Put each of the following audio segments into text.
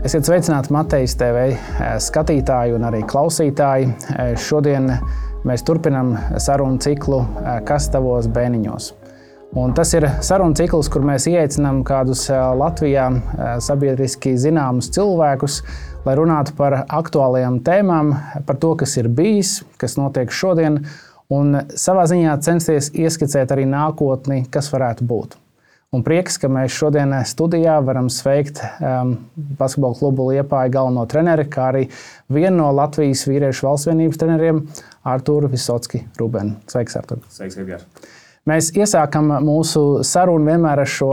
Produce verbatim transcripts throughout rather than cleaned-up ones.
Esiet sveicināti Matejas T V skatītāji un arī klausītāji. Šodien mēs turpinam sarunu ciklu Kas tavos bēniņos? Un tas ir sarunu cikls, kur mēs ieaicinām kādus Latvijā sabiedriski zināmus cilvēkus, lai runātu par aktuālajām tēmām, par to, kas ir bijis, kas notiek šodien, un savā ziņā censties ieskicēt arī nākotni, kas varētu būt. Un prieks, ka mēs šodien studijā varam sveikt um, basketbola klubu Liepāja galveno treneri, kā arī vienu no Latvijas vīriešu valstsvienības treneriem, Arturu Visocki Rubenu. Sveiks, Artur. Sveiks, Edgars. Mēs iesākam mūsu sarunu vienmēr ar šo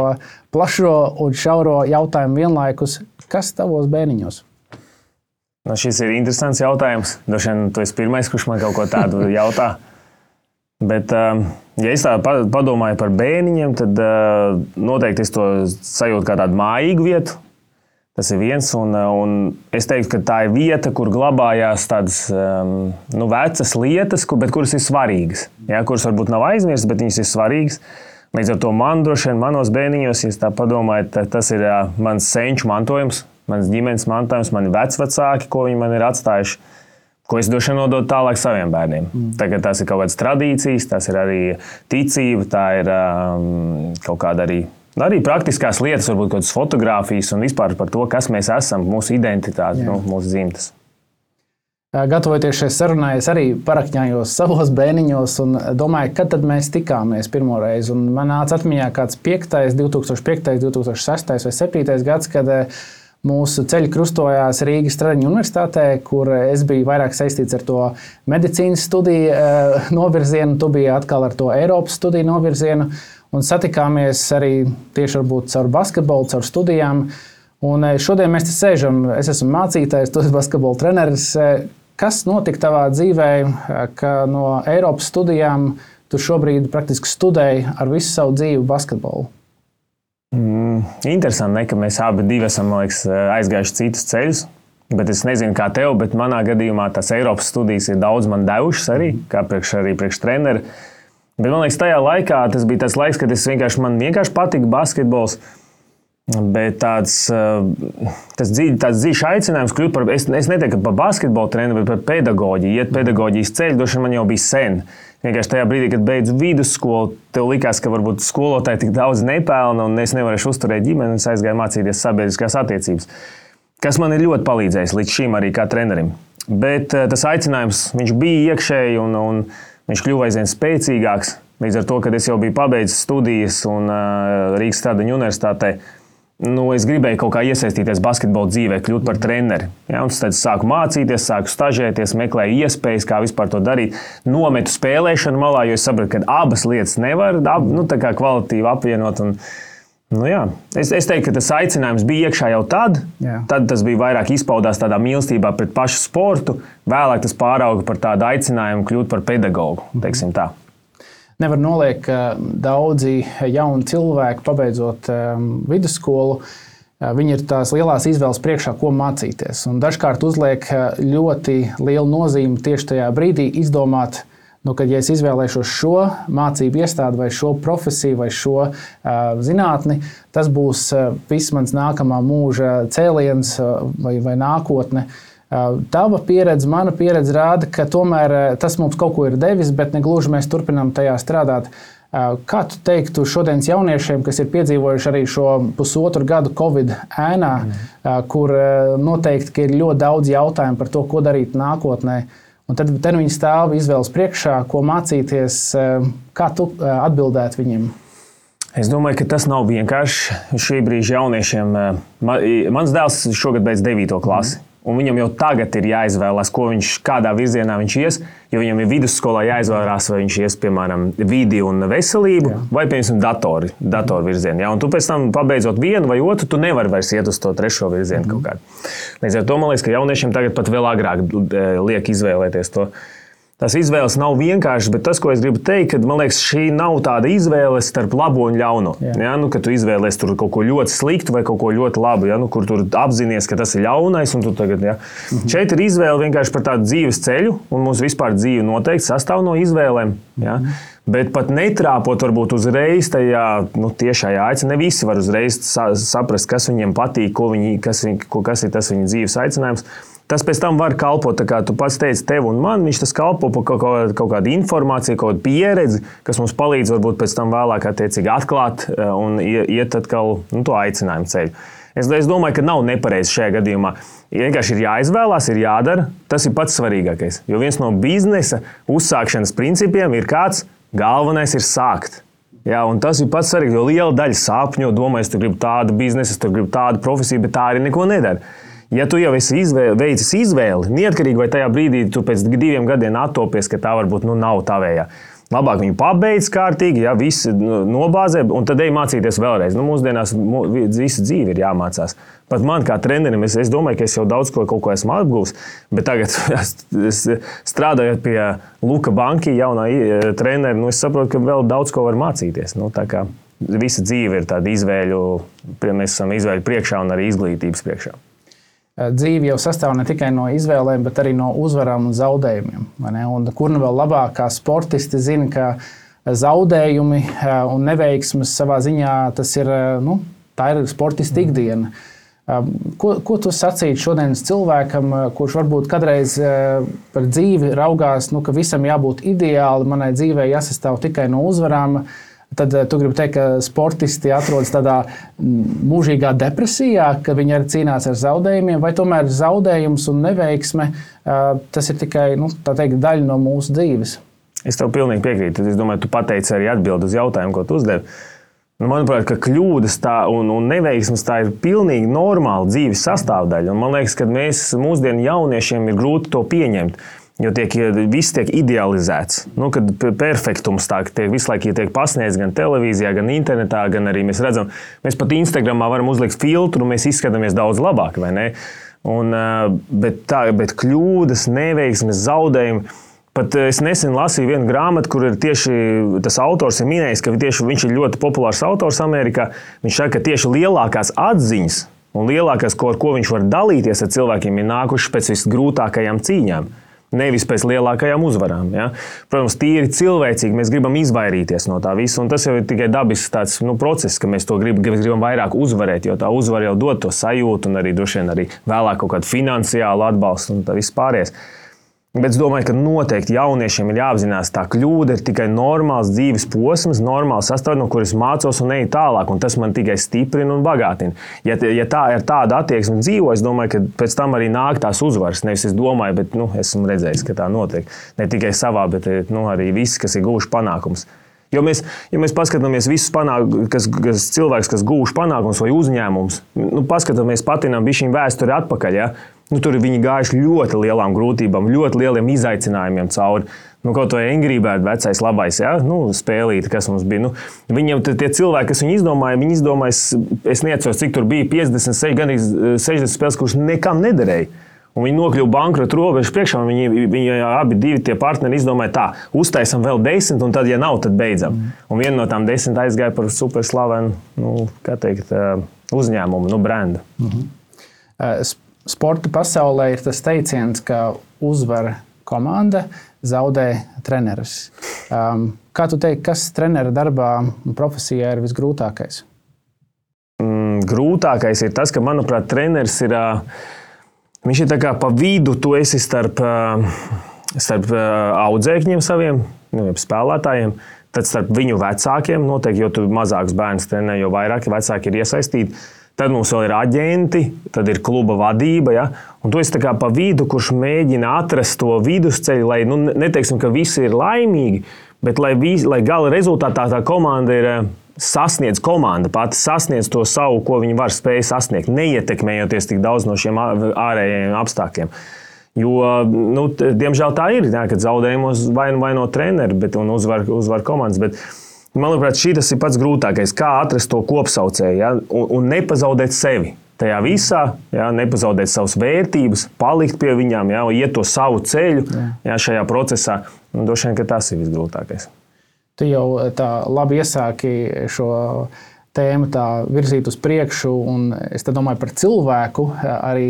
plašo un šauro jautājumu vienlaikus. Kas tavos bēniņos? Nu, šis ir interesants jautājums. Droši vien tu esi pirmais, kurš man kaut ko tādu jautā. Bet, ja es tā padomāju par bēniņiem, tad noteikti es to sajūtu kā tādu mājīgu vietu. Tas ir viens, un, un es teiktu, ka tā ir vieta, kur glabājās tādas nu, vecas lietas, bet kuras ir svarīgas. Ja, kuras varbūt nav aizmirstas, bet viņas ir svarīgas. Līdz ar to man droši vien manos bēniņos, ja tā padomāju, tas ir mans senču mantojums, mans ģimenes mantojums, mani vecvecāki, ko viņi man ir atstājuši. Ko es droši vien nododu tālāk saviem bērniem. Mm. Tagad tās ir kaut kādas tradīcijas, tās ir arī ticība, tā ir um, kaut kāda arī, arī praktiskās lietas, varbūt kaut kādas fotogrāfijas un vispār par to, kas mēs esam, mūsu identitāte, nu, mūsu dzimtes. Gatavoties šai sarunai, es arī parakņājos savos bēniņos un domāju, kad tad mēs tikāmies pirmo reizi. Un man nāca atmiņā kāds piektais, divi tūkstoši piektais, divi tūkstoši sestais vai septītais gads, kad mūsu ceļi krustojās Rīgas Stradiņu universitātē, kur es biju vairāk saistīts ar to medicīnas studiju novirzienu, tu biji atkal ar to Eiropas studiju novirzienu, un satikāmies arī tieši varbūt caur basketbolu, caur studijām. Un šodien mēs te sēžam, es esmu mācītājs, tu esi basketbola treneris. Kas notika tavā dzīvē, ka no Eiropas studijām tu šobrīd praktiski studēji ar visu savu dzīvi basketbolu? Mm, interesanti, ne, ka mēs abi divi esam, man liekas, aizgājuši citus ceļus. Bet es nezinu, kā tev, bet manā gadījumā tās Eiropas studijas ir daudz man devušas arī, kā priekš, arī priekš treneri. Bet man liekas, tajā laikā tas bija tas laiks, kad es vienkārši, man vienkārši patika basketbols. Bet tāds, tas dzīvi, tāds dzīves aicinājums kļūt par, es, es neteiktu par basketbolu treneri, bet par pedagoģiju. Iet pedagoģijas ceļu, droši vien man jau bija sen. Vienkārši tajā brīdī, kad beidzu vidusskolu, tev likās, ka varbūt skolotāji tik daudz nepelna un es nevarēšu uzturēt ģimeni un es aizgāju mācīties sabiedriskās attiecības. Kas man ir ļoti palīdzējis līdz šim arī kā trenerim. Bet tas aicinājums, viņš bija iekšēji un, un viņš kļuva aizvien spēcīgāks. Līdz ar to, kad es jau biju pabeidzis studijas un uh, Rīgas Stradiņu universitātē, nu, es gribēju kaut kā iesaistīties basketbola dzīvē, kļūt par treneri. Ja, un tad es sāku mācīties, sāku stažēties, meklēju iespējas, kā vispār to darīt. Nometu spēlēšanu malā, jo es sapratu, ka abas lietas nevar ab, nu, tā kā kvalitīvi apvienot. Un, nu, jā. es, es teiktu, ka tas aicinājums bija iekšā jau tad. Jā. Tad tas bija vairāk izpaudās tādā mīlestībā pret pašu sportu. Vēlāk tas pārauga par tādu aicinājumu kļūt par pedagogu, teiksim tā. Nevar noliekt, ka daudzi jauni cilvēki, pabeidzot um, vidusskolu, uh, viņi ir tās lielās izvēles priekšā, ko mācīties. Un dažkārt uzliek ļoti lielu nozīmi tieši tajā brīdī izdomāt, nu, kad ja es izvēlēšos šo mācību iestādi vai šo profesiju vai šo uh, zinātni, tas būs uh, viss mans nākamā mūža cēliens uh, vai, vai nākotne. Tava pieredze, mana pieredze rāda, ka tomēr tas mums kaut ko ir devis, bet ne gluži mēs turpinām tajā strādāt. Kā tu teiktu šodienas jauniešiem, kas ir piedzīvojuši arī šo pusotru gadu Covid ēnā, mm. kur noteikti ka ir ļoti daudz jautājumu par to, ko darīt nākotnē, un tad, tad viņi stāv izvēles priekšā, ko mācīties, kā tu atbildētu viņiem? Es domāju, ka tas nav vienkārši šī brīža jauniešiem. Mans dēls šogad beidz devīto klasi. Mm. Un viņam jau tagad ir jāizvēlās, ko viņš, kādā virzienā viņš ies, jo viņam ir vidusskolā jāizvēlās, vai viņš ies, piemēram, vidi un veselību, jā. Vai, piemēram, datori, datoru virzienu. Ja? Un tu pēc tam, pabeidzot vienu vai otru, tu nevari vairs iet uz to trešo virzienu mm. kaut kādu. Līdz ar to, man liekas, ka jauniešiem tagad pat vēl agrāk liek izvēlēties to. tās izvēles nav vienkāršas, bet tas, ko es gribu teikt, ka man liekas, šī nav tāda izvēle starp labo un ļauno. Ja, nu, kad tu izvēlies tur kaut ko ļoti sliktu vai kaut ko ļoti labu, ja, nu, kur tur apzinies, ka tas ir ļaunais. Un tu tagad, ja. mhm. Šeit ir izvēle vienkārši par tādu dzīves ceļu, un mums vispār dzīve noteikti sastāv no izvēlēm. Ja. Mhm. Bet pat netrāpot varbūt uzreiz tajā nu, tiešajā aicinājumā, ne visi var uzreiz saprast, kas viņiem patīk, ko viņi, kas, viņ, kas ir tas viņa dzīves aicinājums. Tas pēc tam var kalpot, tā kā tu pats teici, tev un man, viņš tas kalpo par kaut, kaut, kaut kādu informāciju, kaut kādu pieredzi, kas mums palīdz varbūt pēc tam vēlāk attiecīgi atklāt un iet atkal nu, to aicinājumu ceļu. Es, es domāju, ka nav nepareizi šajā gadījumā. Vienkārši ir jāizvēlās, ir jādara, tas ir pats svarīgākais. Jo viens no biznesa uzsākšanas principiem ir kāds, galvenais ir sākt. Jā, un tas ir pats svarīgākais, jo liela daļa sapņo, domājas, tu gribi tādu biznesu, tu gribi tādu profesiju, bet tā arī neko nedara. Ja tu jau esi izvēle, veicis izvēli, neatkarīgi vai tajā brīdī tu pēc diviem gadiem attopies, ka tā varbūt nu, nav tavējā. Labāk viņu pabeidz kārtīgi, ja visi nobāzē, un tad ej mācīties vēlreiz. Nu, mūsdienās visa dzīve ir jāmācās. Pat man kā trenerim, es, es domāju, ka es jau daudz ko, kaut ko esmu apgūs, bet tagad es, strādājot pie Luka Banki, jaunā treneri, nu, es saprotu, ka vēl daudz ko var mācīties. Nu, tā kā visa dzīve ir tāda izvēļu, mēs esam izvēļu priekšā un arī izglītības priekšā. Dzīve jau sastāv ne tikai no izvēlēm, bet arī no uzvarām un zaudējumiem. Un kur nu vēl labāk kā sportisti zina, ka zaudējumi un neveiksmes savā ziņā tas ir, nu, tā ir sportista ikdiena. Ko, ko tu sacītu šodienas cilvēkam, kurš varbūt kādreiz par dzīvi raugās, nu, ka visam jābūt ideāli, manai dzīvei jāsastāv tikai no uzvarām? Tad tu gribi teikt, ka sportisti atrodas tādā mūžīgā depresijā, ka viņi arī cīnās ar zaudējumiem, vai tomēr zaudējums un neveiksme, tas ir tikai nu, tā teikt, daļa no mūsu dzīves? Es tev pilnīgi piekrītu. Es domāju, tu pateici arī atbildi uz jautājumu, ko tu uzdevi. Nu, manuprāt, ka kļūdas tā un, un neveiksmes tā ir pilnīgi normāla dzīves sastāvdaļa. Un man liekas, ka mēs mūsdienu jauniešiem ir grūti to pieņemt. Jo tiek, viss tiek idealizēts. Nu, kad perfektums tā, tiek visu laiku tiek pasniegts gan televīzijā, gan internetā, gan arī mēs redzam, mēs pat Instagramā varam uzlikt filtru, mēs izskatāmies daudz labāk, vai ne? Un, bet, tā, bet kļūdas, neveiksmes, zaudējumi. Pat es nesen lasīju vienu grāmatu, kur ir tieši tas autors ir minējis, ka tieši viņš ir ļoti populārs autors Amerikā. Viņš saka, ka tieši lielākās atziņas un lielākās, ko, ar ko viņš var dalīties ar cilvēkiem, ir nākušas pēc visgrūtākajām cīņām. Nevis pēc lielākajām uzvarām. Ja? Protams, tīri cilvēcīgi mēs gribam izvairīties no tā visa, un tas jau ir tikai dabisks tāds, nu, process, ka mēs to grib, gribam vairāk uzvarēt, jo tā uzvara jau dod to sajūtu un arī droši vien arī vēlāk kaut kādu finansiālu atbalstu un tā viss pārējais. Bet es domāju, ka noteikti jauniešiem ir jāapzinās, tā kļūda ir tikai normāls dzīves posms, normāls sastāvs, no kuras mācos un eju tālāk, un tas man tikai stiprina un bagātina. Ja, ja tā ir tāda attieksme dzīvo, es domāju, ka pēc tam arī nāk tās uzvaras. Nevis es domāju, bet nu, esmu redzējis, ka tā notiek. Ne tikai savā, bet nu, arī visi, kas ir guvuši panākumus. Jo mēs, ja mēs paskatāmies visus panākumus, kas, kas cilvēks, kas guvuši panākumus vai uzņēmums, nu, paskatāmies patinām bišķiņ vēsturi atpakaļ, ja? Nu, tur viņi gājuši ļoti lielām grūtībām, ļoti lieliem izaicinājumiem cauri. Nu, kaut vai Angry Bird vecais labais, ja? Nu, spēlīte, kas mums bija. Nu, viņiem tie cilvēki, kas viņu izdomāja, viņi izdomāja, es neatceros, cik tur bija piecdesmit seši, gan sešdesmit spēles, kuras nekam nederēja. Un viņi nokļuva bankrota robežas priekšā, un viņi, viņi abi divi tie partneri izdomāja tā, uztaisam vēl desmit, un tad, ja nav, tad beidzam. Mm. Un viena no tām desmit aizgāja par superslavenu, nu, kā teikt, uzņēmumu, nu, brendu. Mm-hmm. Uh, Sporta pasaulē ir tas teiciens, ka uzvar komanda, zaudē treneris. Um, kā tu teiksi, kas trenera darbā un profesijā ir visgrūtākais? Mm, grūtākais ir tas, ka, manuprāt, treneris ir, viņš ir tā kā pa vidu, tu esi starp, starp audzēkņiem saviem, nu, spēlētājiem, tad starp viņu vecākiem, noteikti, jo tu mazāks bērns trenē, jo vairāk vecāki ir iesaistīti. Tad mums vēl ir aģenti, tad ir kluba vadība, ja? Un tu esi tā kā pa vidu, kurš mēģina atrast to vidusceļu, lai, nu, neteiksim, ka visi ir laimīgi, bet lai, vis, lai gala rezultātā tā komanda ir sasniedz komanda, pati sasniedz to savu, ko viņi var spēj sasniegt, neietekmējoties tik daudz no šiem ārējiem apstākļiem. Jo, nu, diemžēl tā ir, ja, kad zaudējumos vaino, vaino treneri, bet, un uzvar, uzvar komandas, bet manuprāt, šī tas ir pats grūtākais, kā atrast to kopsaucēju, ja? un, un nepazaudēt sevi. tajā visā, jā, nepazaudēt savas vērtības, palikt pie viņām, jā, iet to savu ceļu jā, šajā procesā. Un droši vien, ka tas ir visgrūtākais. Tu jau tā labi iesāki šo tēmu tā virzīt uz priekšu, un es domāju par cilvēku arī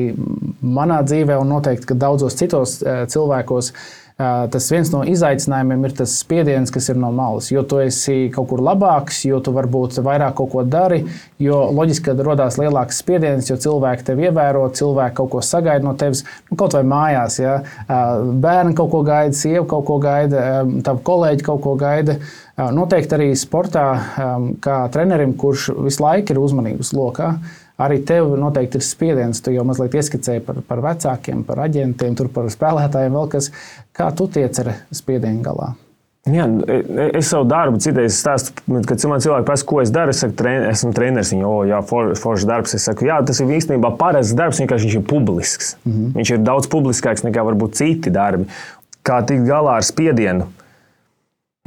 manā dzīvē, un noteikti, ka daudzos citos cilvēkos. Tas viens no izaicinājumiem ir tas spiediens, kas ir no malas. Jo tu esi kaut kur labāks, jo tu varbūt vairāk kaut ko dari, jo loģiski, ka radās lielāks spiediens, jo cilvēki tevi ievēro, cilvēki kaut ko sagaida no tevis, nu, kaut vai mājās. Ja? Bērni kaut ko gaida, sieva kaut ko gaida, tavi kolēģi kaut ko gaida. Noteikti arī sportā, kā trenerim, kurš visu laiku ir uzmanības lokā, arī tev noteikti ir spiediens. Tu jau mazliet ieskicēji par, par vecākiem, par aģentiem, tur par spēlētājiem vēl kas. Kā tu tiec ar spiedienu galā? Jā, es savu darbu citreiz stāstu, kad man cilvēki prasa, ko es daru. Es saku, trener, esmu treneris. Viņi, o, jā, for, foršs darbs. Es saku, jā, tas ir īstenībā parasts darbs, vienkārši viņš ir publisks. Mm-hmm. Viņš ir daudz publiskāks nekā varbūt citi darbi. Kā tikt galā ar spiedienu?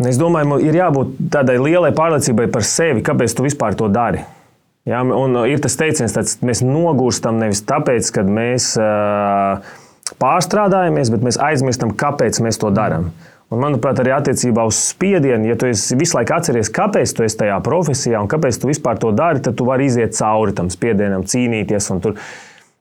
Es domāju, ir jābūt tādai lielai pārliecībai par sevi, kāpēc tu vispār to dari. Ja, un ir tas teiciens, ka mēs nogūstam nevis tāpēc, ka mēs uh, pārstrādājamies, bet mēs aizmirstam, kāpēc mēs to darām. Un, manuprāt, arī attiecībā uz spiedienu, ja tu visu laiku atceries, kāpēc tu esi tajā profesijā un kāpēc tu vispār to dari, tad tu vari iziet cauri tam spiedienam, cīnīties. Un tur,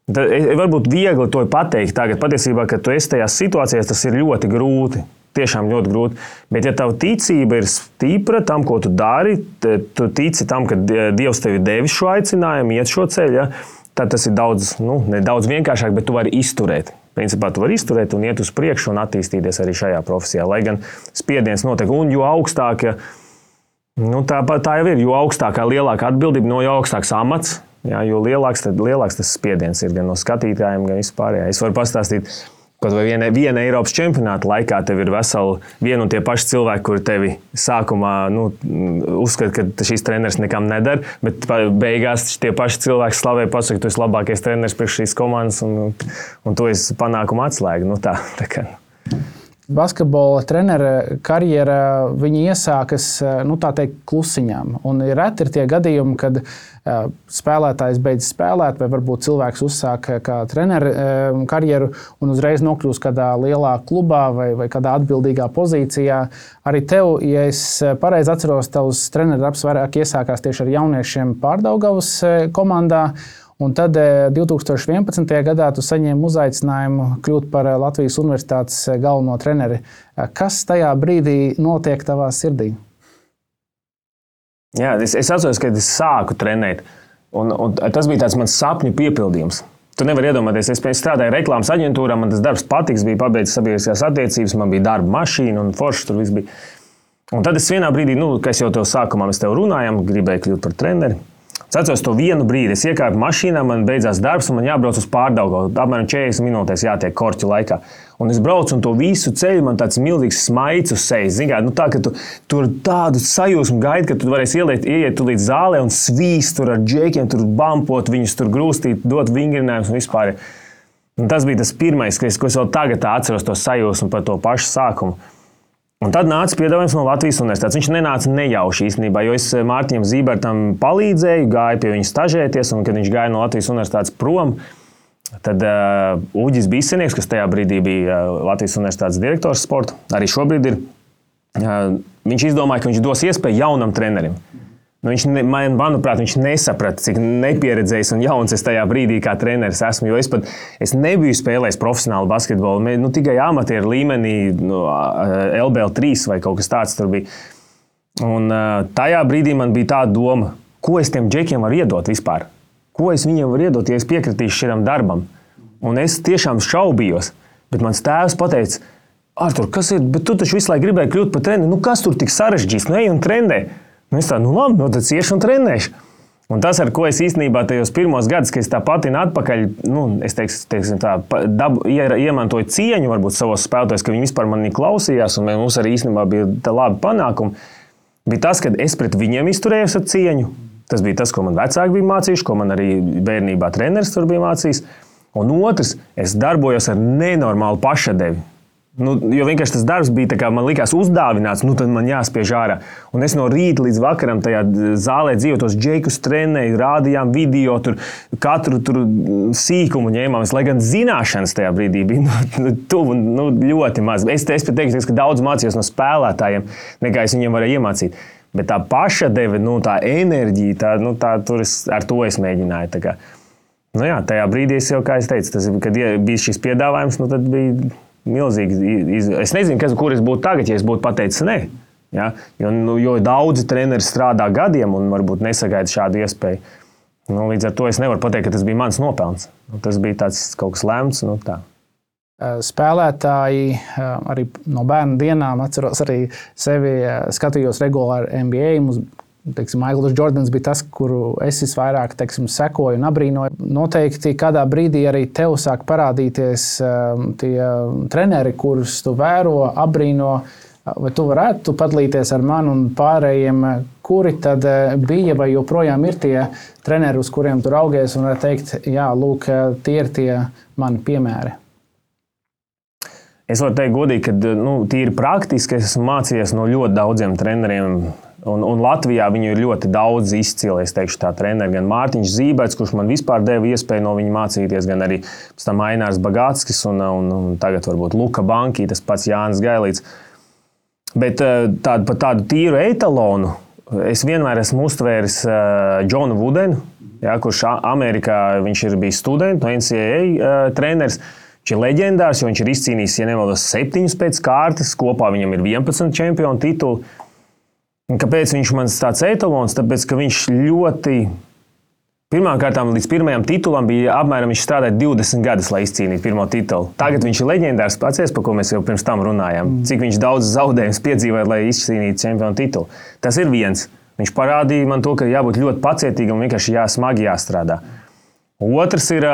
tad, varbūt viegli to pateikt tagad. Patiesībā, kad tu esi tajās situācijās, tas ir ļoti grūti. Tiešām ļoti grūti. Bet, ja tava ticība ir stipra tam, ko tu dari, tu tici tam, ka Dievs tev ir devis šo aicinājumu, iet šo ceļu, ja, tad tas ir daudz, nu, ne daudz vienkāršāk, bet tu vari izturēt. Principā tu vari izturēt un iet uz priekšu un attīstīties arī šajā profesijā. Lai gan spiediens notiek, un jo augstāk, nu, tā, tā jau ir, jo augstākā, lielāka atbildība, no jo augstāks amats, ja, jo lielāks, tad, lielāks tas spiediens ir gan no skatītājiem, gan vispārējā. Es varu pastāstīt, kaut vai viena, viena Eiropas čempionāta laikā tev ir veseli vieni un tie paši cilvēki, kuri tevi sākumā nu, uzskata, ka šīs treneris nekam nedara, bet beigās tie paši cilvēki slavē, pasaka, tu esi labākais treneris priekš šīs komandas un, un tu esi panākuma atslēga. Nu, tā, tā kā. Basketbola trenera karjera viņa iesākas nu, tā teikt, klusiņām. Un ir reti ir tie gadījumi, kad uh, spēlētājs beidz spēlēt, vai varbūt cilvēks uzsāk kā treneru uh, karjeru un uzreiz nokļūst kādā lielā klubā vai, vai kādā atbildīgā pozīcijā. Arī tev, ja es pareizi atceros, tavs treneru darbs vairāk iesākās tieši ar jauniešiem Pārdaugavas komandā. Un tad divtūkstoš vienpadsmitajā gadā tu saņēmi uzaicinājumu kļūt par Latvijas Universitātes galveno treneri. Kas tajā brīdī notiek tavā sirdī? Jā, es, es atceros, kad es sāku trenēt. Un, un tas bija tāds mans sapņu piepildījums. Tu nevari iedomāties, es strādāju reklāmas aģentūrā, man tas darbs patiks, bija pabeidzis sabiedriskās attiecības, man bija darba mašīna un foršs tur viss bija. Un tad es vienā brīdī, nu, kā es jau tev sākumā mēs tev runājām, gribēju kļūt par treneri. Es atceros to vienu brīdi, es iekāpu mašīnā, man beidzās darbs un man jābrauc uz Pārdaugavu. Apmēram četrdesmit minūtēs jātiek korķu laikā. Un es braucu un to visu ceļu man tāds milzīgs smaids uz sejas. Zin kā, nu tā, ka tu tur tādu sajūsmu gaidi, ka tu varēsi ieliet, ieiet tu līdz zālē un svīst tur ar džekiem, tur bampot viņus, tur grūstīt, dot vingrinājumus un vispār. Un tas bija tas pirmais, ko es, ko es vēl tagad atceros to sajūsmu par to pašu sākumu. Un tad nāca piedāvājums no Latvijas Universitātes. Viņš nenāca nejauši īstenībā, jo es Mārtiņam Zībertam palīdzēju, gāju pie viņa stažēties, un kad viņš gāja no Latvijas Universitātes prom, tad uh, Uģis Bisenieks, kas tajā brīdī bija uh, Latvijas Universitātes direktors sporta, arī šobrīd ir, uh, viņš izdomāja, ka viņš dos iespēju jaunam trenerim. Nu, viņš, ne, man, manuprāt, viņš nesaprata, cik nepieredzējis un jauns es tajā brīdī kā treneris esmu, jo es pat es nebiju spēlējis profesionālu basketbolu, nu, tikai amatieru līmenī, nu, L B L trīs vai kaut kas tāds tur bija. Un tajā brīdī man bija tāda doma, ko es tiem džekiem varu iedot vispār? Ko es viņiem varu iedot, ja es piekritīšu šitam darbam? Un es tiešām šaubījos, bet mans tēvs pateica, Artur, kas ir, bet tu taču visu laiku gribēji kļūt par treneri, nu kas tur tik sarežģīs, nu ej un trenē. Nu, es tā, nu labi, nu tad iešu un trenēšu. Un tas, ar ko es īstenībā tajos pirmos gadus, kad es tā patinu atpakaļ, nu, es teiksim, teiksim tā, dabu, iemantoju cieņu varbūt savos spēlētājos, ka viņi vispār manī klausījās, un mums arī īstenībā bija tā labi panākumi, bija tas, kad es pret viņiem izturējos ar cieņu. Tas bija tas, ko man vecāki bija mācījuši, ko man arī bērnībā treneris tur bija mācījis. Un otrs, es darbojos ar nenormālu pašadevi. Nu, jo vienkārši tas darbs bija tā kā man likās uzdāvināts, nu tad man jāspiež ārā. Un es no rīta līdz vakaram tajā zālē dzīvoju, tos džekus trenēju, rādījām video, tur katru tur sīkumu ņēmām. Lai gan zināšanas tajā brīdī bija nu, tuvu, nu, ļoti maz. Es, es pat teiktu, ka daudz mācījos no spēlētājiem, nekā es viņiem varēju iemācīt. Bet tā paša deve, nu, tā enerģija, tā, nu, tā, tur es, ar to es mēģināju. Tā kā, nu jā, tajā brīdī es jau, kā es teicu, tas, kad bija šis piedāvājums, nu, tad bija milzīgi. Es nezinu, kas, kur es būtu tagad, ja es būtu pateicis nē. Ja? Jo, nu, jo daudzi treneri strādā gadiem un varbūt nesagaida šādu iespēju. Nu, līdz ar to es nevaru pateikt, ka tas bija mans nopelns. Nu, tas bija tāds kaut kas lemts. Nu, tā. Spēlētāji arī no bērnu dienām atceros arī sevi, skatījos regulāri N B A. Mums, teiksim, Maikls Džordans bija tas, kuru es visvairāk, teiksim, sekoju un abrīnoju. Noteikti kādā brīdī arī tev sāk parādīties tie treneri, kurus tu vēro, abrīno. Vai tu varētu padalīties ar mani un pārējiem, kuri tad bija vai joprojām ir tie treneri, uz kuriem tu raugies un var teikt, jā, lūk, tie ir tie mani piemēri? Es varu teikt godīgi, ka nu, tīri praktiski es esmu mācījies no ļoti daudziem treneriem. Un, un Latvijā viņu ir ļoti daudz izcili, es teikšu tā treneri. Gan Mārtiņš Zībets, kurš man vispār deva iespēju no viņa mācīties, gan arī pēc tam Ainārs Bagātskis un, un, un tagad varbūt Luka Banki, tas pats Jānis Gailīts. Bet tādu, par tādu tīru etalonu es vienmēr esmu uztvēris Džonu Vudenu, ja, kurš Amerikā viņš ir bijis students, no N C A A treneris. Viņš ir leģendārs, jo viņš ir izcīnījis, ja nemaldos, septiņus pēc kārtas. Kopā viņam ir vienpadsmit čempionu tituli. Un kāpēc viņš man tāds etalons? Tāpēc, ka viņš ļoti... Pirmkārt, līdz pirmajam titulam bija apmēram viņš strādāja divdesmit gadus, lai izcīnītu pirmo titulu. Tagad viņš ir leģendārs, pacies, par ko mēs jau pirms tam runājām. Cik viņš daudz zaudējumus piedzīvoja, lai izcīnītu čempionu titulu. Tas ir viens. Viņš parādīja man to, ka jābūt ļoti pacietīgam un vienkārši jā, smagi jāstrādā. Otrs ir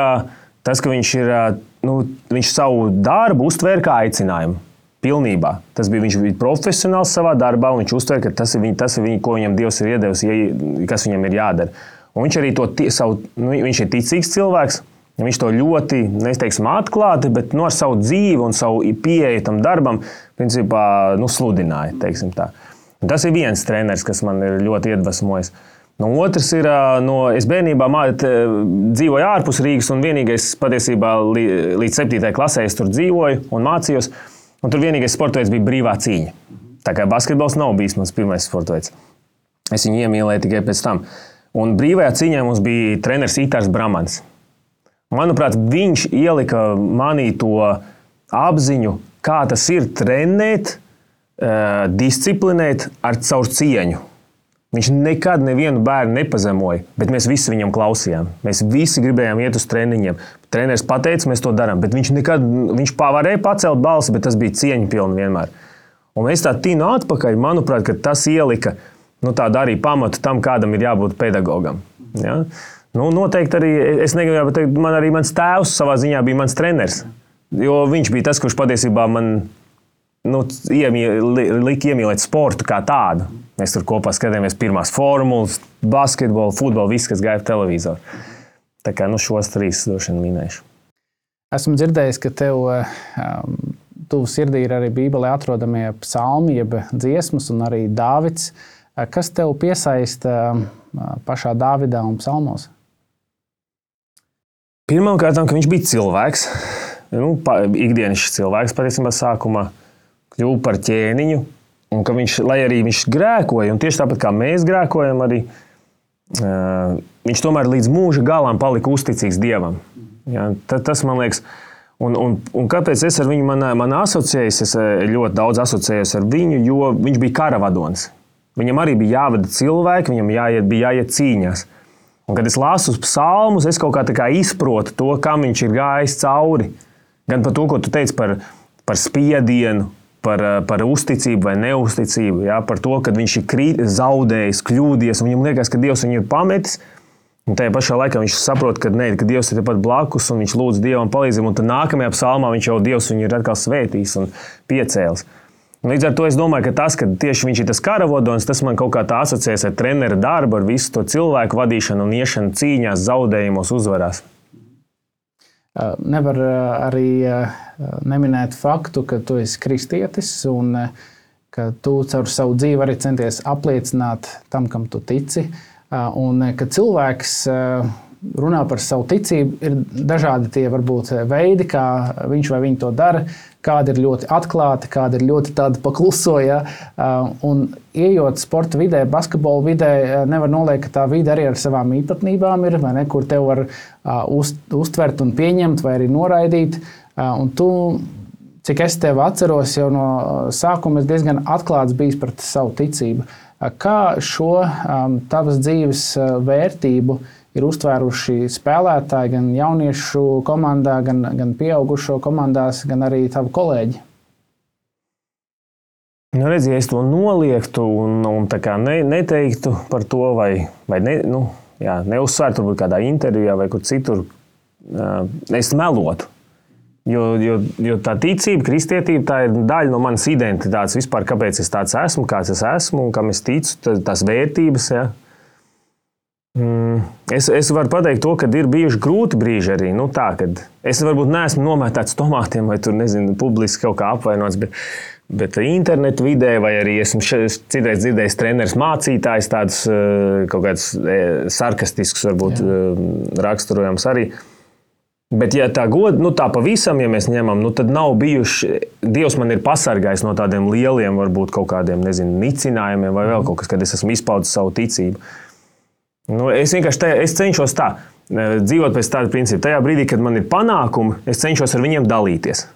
tas, ka viņš, ir, nu, viņš savu darbu uztvēra kā aicinājumu. Pilnībā. Tas bija, viņš bija profesionāls savā darbā, un viņš uztver, ka tas ir, viņa, tas ir viņa, ko viņam Dievs ir iedevis, kas viņam ir jādara. Un viņš arī to savu, nu, viņš ir ticīgs cilvēks, viņš to ļoti, neteiksim, atklāti, bet no ar savu dzīvi un savu pieeju tam darbam, principā, nu, sludināja, teiksim tā. Un tas ir viens treneris, kas man ir ļoti iedvesmojis. No otrs ir, no, es bērnībā māt, dzīvoju ārpus Rīgas, un vienīgais patiesībā līdz septītajai klasē es tur dzīvoju un mācījos. Un tur vienīgais sporta veids bija brīvā cīņa. Tā kā basketbols nav bijis mans pirmais sporta veids. Es viņu iemīlēju tikai pēc tam. Un brīvajā cīņā mums bija treneris Itārs Bramans. Manuprāt, viņš ielika manī to apziņu, kā tas ir trenēt, disciplinēt ar caur cieņu. Viņš nekad nevienu bērnu nepazemoja, bet mēs visi viņam klausījām. Mēs visi gribējām iet uz treniņiem. Treneris pateica, mēs to darām, bet viņš nekad, viņš varēja pacelt balsi, bet tas bija cieņa pilni vienmēr. Un mēs tā tīnu atpakaļ, manuprāt, ka tas ielika, nu tādu arī pamatu tam, kādam ir jābūt pedagogam. Ja? Nu, noteikti arī, es negribu teikt, man arī mans tēvs savā ziņā bija mans treneris, jo viņš bija tas, kurš patiesībā man, nu, lika iemīlēt sportu kā tādu. Mēs tur kopā skatījāmies pirmās formulas, basketbolu, futbolu, viss, kas gāja televizoru. Tā kā nu, šos trīs droši vien minēšu. Esmu dzirdējis, ka tev um, tuvu sirdī ir arī Bībelē atrodamie psalmi, jeb dziesmas un arī Dāvids. Kas tev piesaista um, pašā Dāvidā un psalmos? Pirmkārt, ka viņš bija cilvēks. Nu, ikdienišs cilvēks patiesībā sākumā kļuva par ķēniņu. Un ka viņš, lai arī viņš grēkoja, un tieši tāpat kā mēs grēkojam arī, uh, viņš tomēr līdz mūža galam palika uzticīgs Dievam. Ja, tas, man liekas, un, un, un kāpēc es ar viņu man, man asociējos, es ļoti daudz asociējos ar viņu, jo viņš bija karavadonis. Viņam arī bija jāvada cilvēki, viņam jāiet, bija jāiet cīņās. Un kad es lasu psalmus, es kaut kā tā kā izprotu to, kam viņš ir gājis cauri. Gan par to, ko tu teici par, par spiedienu, Par, par uzticību vai neuzticību, ja? Par to, ka viņš ir krīt, zaudējis, kļūdies, un viņam liekas, ka Dievs viņu ir pametis, un tajā pašā laikā viņš saprot, ka, ne, ka Dievs ir tepat blakus, un viņš lūdz Dievam palīdzību, un tad nākamajā psalmā viņš jau Dievs viņu ir atkal svētījis un piecēlis. Un līdz ar to es domāju, ka tas, ka tieši viņš ir tas karavadonis, tas man kaut kā tā asociēs ar trenera darbu, ar visu to cilvēku vadīšanu un iešanu cīņās, zaudējumos, uzvarās. Nevar arī neminēt faktu, ka tu esi kristietis un ka tu caur savu dzīvi arī centies apliecināt tam, kam tu tici. Un ka cilvēks runā par savu ticību, ir dažādi tie varbūt veidi, kā viņš vai viņa to dara. Kādi ir ļoti atklāti, kādi ir ļoti tādi pakluso. Ja? Un ejot sporta vidē, basketbola vidē, nevar noliekt, ka tā vide arī ar savām īpatnībām ir, vai ne, kur tev var uz, uztvert un pieņemt vai arī noraidīt. Un tu, cik es tevi atceros, jau no sākuma esi diezgan atklāts bijis par savu ticību. Kā šo tavas dzīves vērtību ir uztvēruši spēlētāji gan jauniešu komandā, gan, gan pieaugušo komandās, gan arī tavi kolēģi? Nu, redz, ja es to noliektu un, un tā kā ne, neteiktu par to, vai, vai ne, nu, jā, neuzsvērtu varbūt kādā intervijā vai kur citur, es melotu. Jo, jo, jo tā ticība, kristietība, tā ir daļa no manas identitātes vispār, kāpēc es tāds esmu, kāds es esmu un kam es ticu, tās vērtības, ja. Es, es varu pateikt to, ka ir bijuši grūti brīži arī. Nu, tā, kad es varbūt neesmu nomētāts tomātiem vai tur, nezinu, publiski kaut kā apvainots, bet, bet internetu vidē vai arī esmu citreiz dzirdējis treneris mācītājs tādus kaut kādus sarkastiskus varbūt Jā. raksturojums arī. Bet, ja tā god, nu tā pavisam, ja mēs ņemam, nu tad nav bijuši, Dievs man ir pasargājis no tādiem lieliem, varbūt kaut kādiem, nezinu, nicinājumiem vai vēl kaut kas, kad es esmu izpaudis savu ticību. Nu, es vienkārši tajā, es cenšos tā, dzīvot pēc tāda principa. Tajā brīdī, kad man ir panākumi, es cenšos ar viņiem dalīties.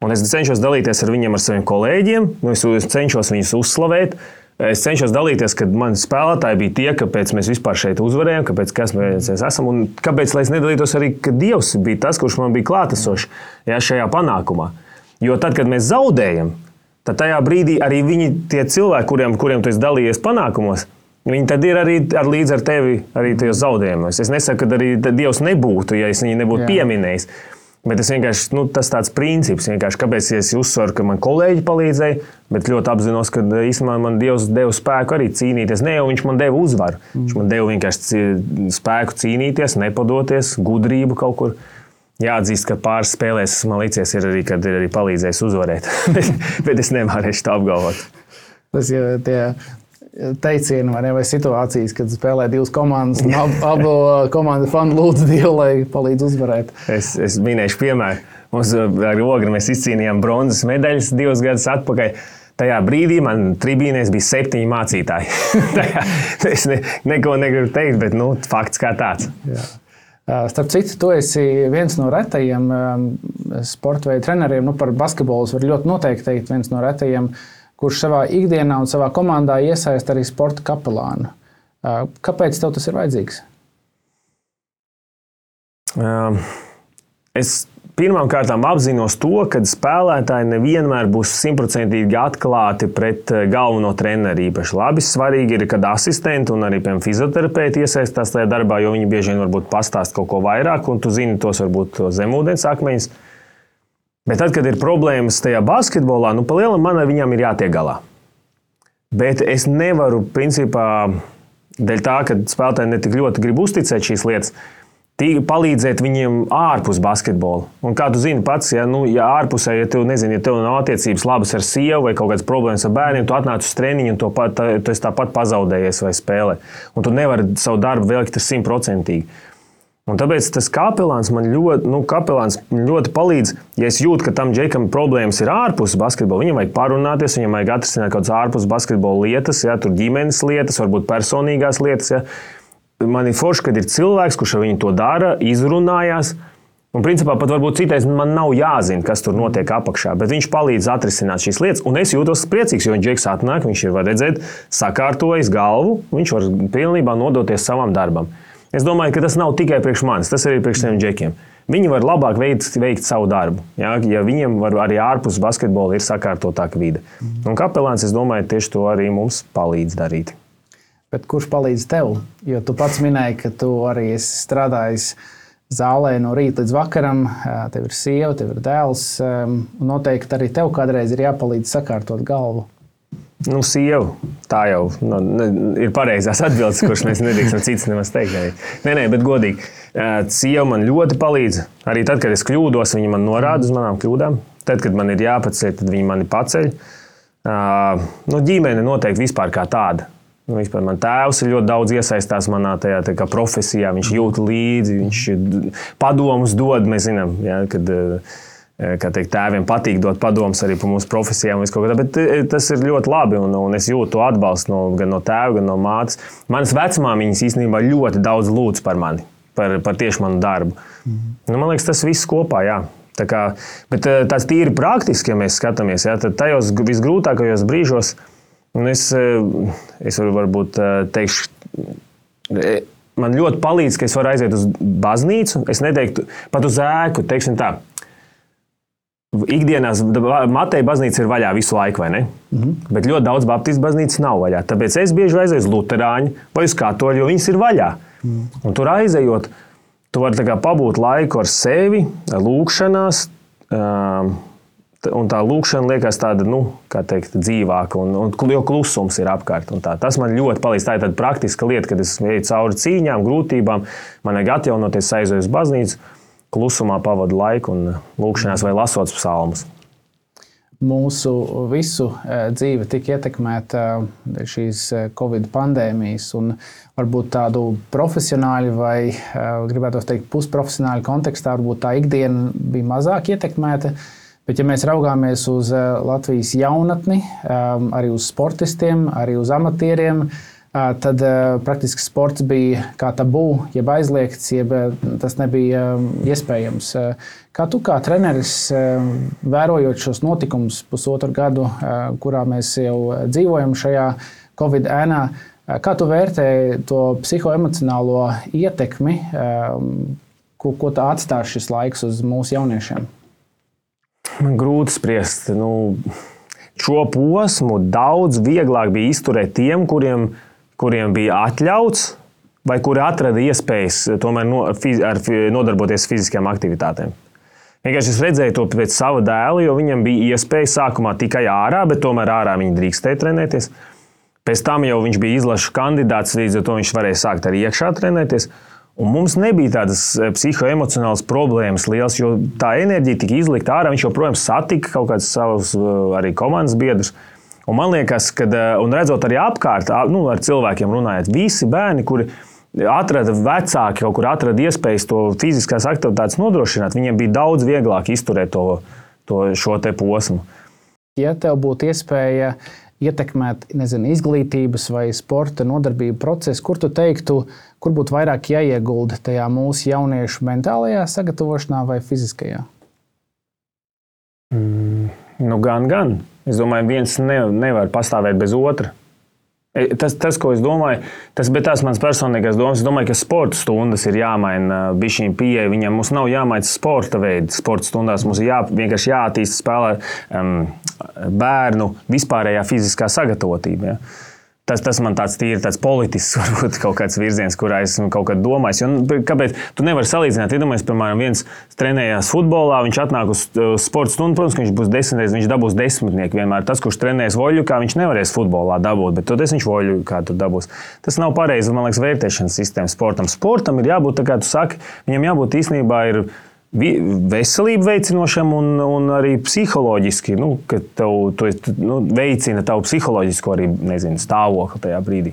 Un es cenšos dalīties ar viņiem, ar saviem kolēģiem, nu, es cenšos viņus uzslavēt. Es cenšos dalīties, kad mani spēlētāji bija tie, kāpēc mēs vispār šeit uzvarējām, kāpēc kas mēs esam, un kāpēc, lai es nedalītos arī, ka Dievs bija tas, kurš man bija klātesošs ja, šajā panākumā. Jo tad, kad mēs zaudējam, tad tajā brīdī arī viņi, tie cilvēki, kuriem, kuriem tu esi dalījies panākumos, viņi tad ir arī ar līdz ar tevi arī tajos zaudējumos. Es nesaku, ka arī Dievs nebūtu, ja es viņu nebūtu Jā. pieminējis. Bet es vienkārši, nu, tas tāds princips, vienkārši, kāpēc es uzsveru, ka man kolēģi palīdzēja, bet ļoti apzinos, ka īstenībā man Dievs deva spēku arī cīnīties. Ne jau viņš man deva uzvaru, mm. viņš man deva vienkārši spēku cīnīties, nepadoties, gudrību kaut kur. Jāatzīst, ka pāris spēlēs man licies ir arī, kad ir arī palīdzējis uzvarēt, bet, bet es nevarēšu tā apgalvot. Tas jau tie teicieni vai, ne, vai situācijas, kad spēlē divas komandas un ab, abu komandu fani lūdz Dievu, lai palīdz uzvarēt. Es, es minēšu piemēru. Mums ar Ogri mēs izcīnījām bronzas medaļas divus gadus atpakaļ. Tajā brīdī man tribīnēs bija septiņi mācītāji. Tajā, es ne, neko negribu teikt, bet nu, fakts kā tāds. Jā. Starp citu, tu esi viens no retajiem sporta veidu treneriem. Nu, par basketbolus var ļoti noteikti teikt viens no retajiem, kurš savā ikdienā un savā komandā iesaist arī sporta kapelānu. Kāpēc tev tas ir vajadzīgs? Es pirmām kārtām apzinos to, ka spēlētāji nevienmēr būs simtprocentīgi atklāti pret galveno treneri. Īpaši labi svarīgi ir, kad asistenti un arī, piemēram, fizioterapeiti iesaistās tajā darbā, jo viņi bieži vien varbūt pastāst kaut ko vairāk, un tu zini tos varbūt zemūdens akmeņus. Bet tad, kad ir problēmas tajā basketbolā, nu, pa lielam man ar viņām ir jātiek galā. Bet es nevaru, principā, dēļ tā, ka spēlētāji ne tik ļoti grib uzticēt šīs lietas, palīdzēt viņiem ārpus basketbola. Un kā tu zini pats, ja, nu, ja ārpusē, ja tev, nezinu, ja tev nav attiecības labas ar sievu vai kaut kādas problēmas ar bērniem, tu atnāc uz treniņu un to pat, tu esi tāpat pazaudējies vai spēlē. Un tu nevari savu darbu veikt ar simtprocentīgi. Un tāpēc tas kapelāns man ļoti, nu, kapelāns ļoti palīdz, ja es jūtu, ka tam džekam problēmas ir ārpus basketbola, viņam vajag parunāties, viņam vajag atrisināt kaut kādas ārpus basketbola lietas, ja, tur ģimenes lietas, varbūt personīgās lietas. Ja. Man ir forši, kad ir cilvēks, kurš ar viņu to dara, izrunājās. Un principā pat varbūt citreiz man nav jāzina, kas tur notiek apakšā, bet viņš palīdz atrisināt šīs lietas. Un es jūtos priecīgs, jo viņš džeks atnāk, viņš ir, var redzēt, sakārtojis galvu, viņš var pilnībā nodoties savam darbam. Es domāju, ka tas nav tikai priekš manis, tas arī priekš tiem džekiem. Viņi var labāk veikt, veikt savu darbu, ja, ja viņiem var arī ārpus basketbola ir sakārtotāka vide. Un kapelāns, es domāju, tieši to arī mums palīdz darīt. Bet kurš palīdz tev? Jo tu pats minēji, ka tu arī esi strādājis zālē no rīta līdz vakaram, tev ir sieva, tev ir dēls, un noteikti arī tev kādreiz ir jāpalīdz sakārtot galvu. Nu, sieva, tā jau nu, ir pareizās atbildes, kuras mēs nedrīkstam cits nemaz teikt. Nē, nē, bet godīgi. Sieva man ļoti palīdz. Arī tad, kad es kļūdos, viņa man norāda uz manām kļūdām. Tad, kad man ir jāpaceļ, tad viņa mani paceļ. Nu, ģimene noteikti vispār kā tāda. Nu, vispār man tēvs ir ļoti daudz iesaistās manā tajā tā kā profesijā. Viņš jūt līdzi, viņš padomus dod. Mēs zinām, ja, kad kā teikt, tēviem patīk dot padomus arī par mūsu profesijām. Bet tas ir ļoti labi, un, un es jūtu to atbalstu no, gan no tēva, gan no mātes. Manas vecmāmiņas īstenībā ļoti daudz lūdz par mani, par, par tieši manu darbu. Mm. Nu, man liekas, tas viss kopā, jā. Tā kā, bet tās tīri praktiski, ja mēs skatāmies, jā, tad tajos visgrūtākajos brīžos, un es, es varu varbūt teikšu, man ļoti palīdz, ka es varu aiziet uz baznīcu, es neteiktu pat uz ēku, teiksim tā. Ikdienās Mateja baznīca ir vaļā visu laiku, vai ne? Mm-hmm. Bet ļoti daudz baptistu baznīcas nav vaļā. Tāpēc es bieži aizēju uz luterāņu vai uz katoļu, jo viņas ir vaļā. Mm. Un tur aizējot, tu vari tā kā pabūt laiku ar sevi, lūkšanās, un tā lūkšana liekas tāda, nu, kā teikt, dzīvāka, un, un jo klusums ir apkārt. Un tā. Tas man ļoti palīdz. Tā ir tāda praktiska lieta, kad es eju cauri cīņām, grūtībām, man vajag atjaunoties, aizēju uz baznīcu, klusumā pavadu laiku un lūkšanās vai lasot psalmus. Mūsu visu dzīve tika ietekmēta šīs Covid pandēmijas, un varbūt tādu profesionāļu vai, gribētu teikt, pusprofesionāļu kontekstā, varbūt tā ikdiena bija mazāk ietekmēta. Bet, ja mēs raugāmies uz Latvijas jaunatni, arī uz sportistiem, arī uz amatieriem, tad praktiski sports bija kā tabū, jeb aizliegts, jeb tas nebija iespējams. Kā tu kā treneris, vērojot šos notikumus pusotru gadu, kurā mēs jau dzīvojam šajā Covid ēnā, kā tu vērtēji to psihoemocionālo ietekmi, ko, ko tā atstās šis laiks uz mūsu jauniešiem? Man grūti spriest. Nu, šo posmu daudz vieglāk bija izturēt tiem, kuriem kuriem bija atļauts, vai kuri atrada iespējas tomēr no, fiz, ar, nodarboties fiziskām aktivitātēm. Vienkārši es redzēju to pēc sava dēla, jo viņam bija iespēja sākumā tikai ārā, bet tomēr ārā viņi drīkstēja trenēties. Pēc tam jau viņš bija izlašu kandidāts, līdz ar to viņš varēja sākt arī iekšā trenēties. Un mums nebija tādas psihoemocionālas problēmas liels, jo tā enerģija tika izlikta ārā, viņš joprojām satika kaut kāds savus arī komandas biedrus. Un man liekas, ka, un redzot arī apkārt, nu, ar cilvēkiem runājot, visi bērni, kuri atrada vecāki, kaut kur atrada iespējas to fiziskās aktivitātes nodrošināt, viņiem bija daudz vieglāk izturēt to, to šo te posmu. Ja tev būtu iespēja ietekmēt, nezinu, izglītības vai sporta nodarbību procesu, kur tu teiktu, kur būtu vairāk jāiegulda tajā mūsu jauniešu mentālajā sagatavošanā vai fiziskajā? Mm, nu, gan, gan. Es domāju, viens ne, nevar pastāvēt bez otra. Tas, tas, ko es domāju, tas bija tās mans personīgās domas. Es domāju, ka sporta stundas ir jāmaina bišķiņ pieeja. Viņam mums nav jāmaina sporta veidi. Sporta stundās mums ir jā, vienkārši jāattīst spēlēt um, bērnu vispārējā fiziskā sagatavotība. Ja? Tas, tas man tāds tīri tāds politisks, varbūt kaut kāds virziens, kurā esmu kaut kad domājis. Jo, kāpēc? Tu nevari salīdzināt. Iedomājies, piemēram, viens trenējās futbolā, viņš atnāk uz sporta stundu, protams, ka viņš būs desmitreiz, viņš dabūs desmitnieku vienmēr. Tas, kurš trenējas voļukā, viņš nevarēs futbolā dabūt, bet toties viņš voļukā tur dabūs. Tas nav pareizi, man liekas, vērtēšanas sistēma sportam. Sportam ir jābūt, tā kā tu saki, viņam jābūt īstenībā ir veselību veicinošam un, un arī psiholoģiski, nu, ka tev, tu, nu, veicina tavu psiholoģisko arī, nezinu, stāvokli tajā brīdī.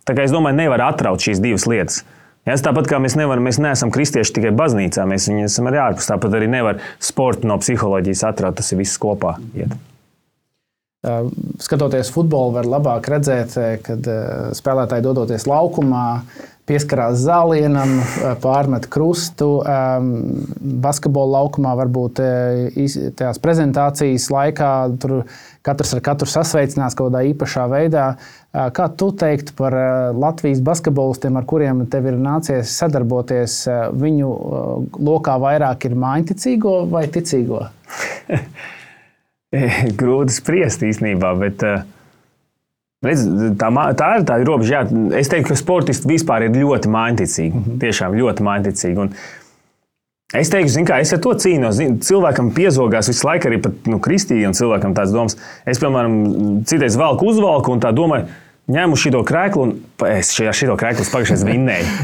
Tā kā es domāju, nevar atraut šīs divas lietas. Ja, tāpat kā mēs nevaram, mēs neesam kristieši tikai baznīcā, mēs viņi esam arī ārpus, tāpat arī nevar sportu no psiholoģijas atraut, tas ir viss kopā iet. Skatoties futbolu, var labāk redzēt, kad spēlētāji dodoties laukumā, pieskarās zālienam, pārmet krustu. Basketbola laukumā varbūt tajās prezentācijas laikā tur katrs ar katru sasveicinās kaut kādā īpašā veidā. Kā tu teiktu par Latvijas basketbolistiem, ar kuriem tev ir nācies sadarboties, viņu lokā vairāk ir mājņticīgo vai ticīgo? Grūti spriest īstenībā, bet redz, tā, tā ir tā robeža. Jā, es teiktu, ka sportisti vispār ir ļoti mājņticīgi. Mm-hmm. Tiešām ļoti mājņticīgi. Un es teiktu, zin kā, es ar to cīnos. Zin, cilvēkam piezogās visu laiku arī pat nu, kristīgiem cilvēkam tāds domas. Es, piemēram, citreiz valku uzvalku un tā domāju, ņēmu šito krēklu un es šito krēklu pagājušais vinnēju.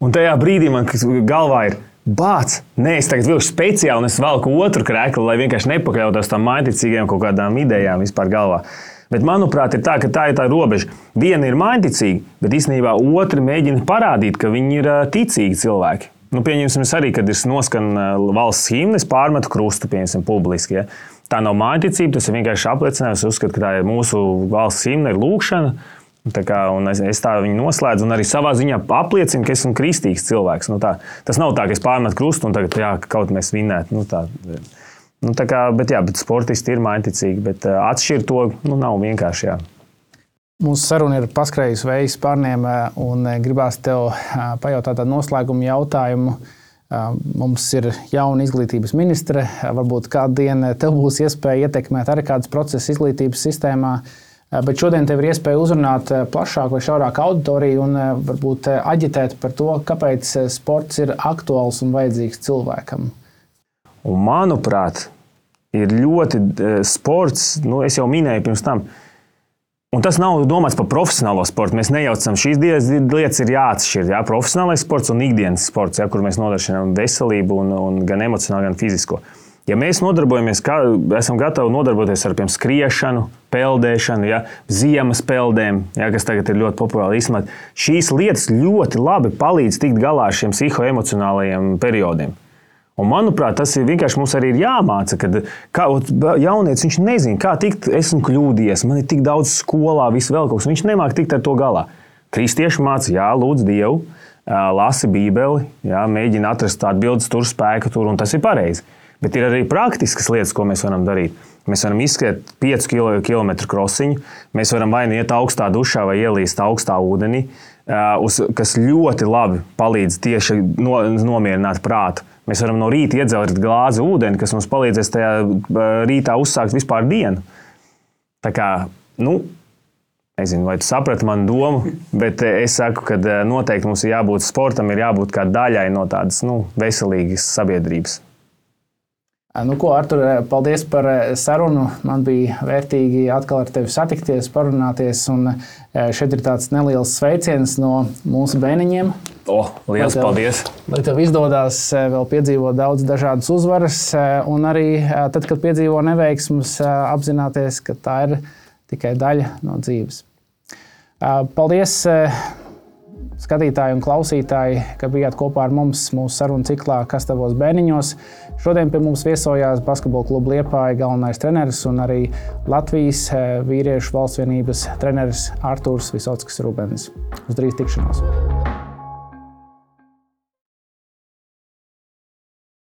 Un tajā brīdī man galvā ir bāc, nē, es tagad vilkšu speciāli un es velku otru kreklu, lai vienkārši nepakļautos tam mainticīgiem kaut kādām idejām vispār galvā. Bet, manuprāt, ir tā, ka tā ir tā robeža. Viena ir mainticīga, bet īstenībā otri mēģina parādīt, ka viņi ir ticīgi cilvēki. Nu, pieņemsim arī, kad ir noskan valsts himnes, pārmetu krustu, pieņemsim, publiski. Ja? Tā nav mainticība, tas ir vienkārši apliecinājums. Es uzskatu, ka tā ir mūsu valsts himna, ir lūkšana. Tā kā, un es, es tā viņu noslēdzu un arī savā ziņā apliecinu, ka esmu kristīgs cilvēks. Nu, tā, tas nav tā, ka es pārmetu krustu un tagad jā, kaut mēs vinētu. Nu, tā, nu, tā kā, bet, jā, bet sportisti ir mainticīgi, bet uh, atšķirt to nu, nav vienkārši. Jā. Mūsu saruna ir paskrējusi vējas pārniem un gribās tev pajautāt tādu noslēgumu jautājumu. Mums ir jauna izglītības ministre. Varbūt kādu dienu tev būs iespēja ietekmēt arī kādus procesus izglītības sistēmā. Bet šodien tev ir iespēja uzrunāt plašāku vai šaurāku auditoriju un varbūt aģitēt par to, kāpēc sports ir aktuāls un vajadzīgs cilvēkam. Un, manuprāt, ir ļoti sports, nu, es jau minēju pirms tam, un tas nav domāts par profesionālo sportu. Mēs nejaucam, šīs lietas ir jāatšķir. Jā, profesionālais sports un ikdienas sports, jā, kur mēs nodrošinām veselību un, un gan emocionāli, gan fizisko. Ja mēs nodarbojamies, kā, esam gatavi nodarboties ar piemēram skriešanu, peldēšanu, ja, ziemas peldēm, ja, kas tagad ir ļoti populāri izsmēt, šīs lietas ļoti labi palīdz tikt galā ar šiem psihoemocionālajiem periodiem. Un, manuprāt, tas ir vienkārši mums arī ir jāmāca, kad kā, jaunietis viņš nezina, kā tikt, esmu kļūdījies, man ir tik daudz skolā, viss vēl kaut kas, viņš nemāk tikt ar to galā. Kristieši māca, jā, lūdz Dievu, lasi Bībeli, jā, mēģina atrast tādu bildes tur spēku tur, un tas ir pareizi. Bet ir arī praktiskas lietas, ko mēs varam darīt. Mēs varam izskriet piecu kilometru krosiņu, mēs varam vai nu iet augstā dušā vai ielīst augstā ūdenī, kas ļoti labi palīdz tieši nomierināt prātu. Mēs varam no rīta iedzelt glāzi ūdeni, kas mums palīdzēs tajā rītā uzsākt vispār dienu. Tā kā, nu, nezinu, vai tu saprati manu domu, bet es saku, ka noteikti mums ir jābūt sportam, ir jābūt kā daļai no tādas nu, veselīgas sabiedrības. Nu, ko, Artur, paldies par sarunu. Man bija vērtīgi atkal ar tevi satikties, parunāties. Un šeit ir tāds neliels sveiciens no mūsu bērniņiem. O, liels lai tev, paldies! Lai tev izdodas vēl piedzīvot daudz dažādas uzvaras. Un arī tad, kad piedzīvo neveiksmus, apzināties, ka tā ir tikai daļa no dzīves. Paldies! Skatītāji un klausītāji, ka bijāt kopā ar mums mūsu sarunu ciklā Kas tavos bērniņos. Šodien pie mums viesojās Basketbola kluba Liepāja galvenais treneris un arī Latvijas vīriešu valsts vienības treneris Artūrs Visockis Rubens. Uz drīz tikšanos!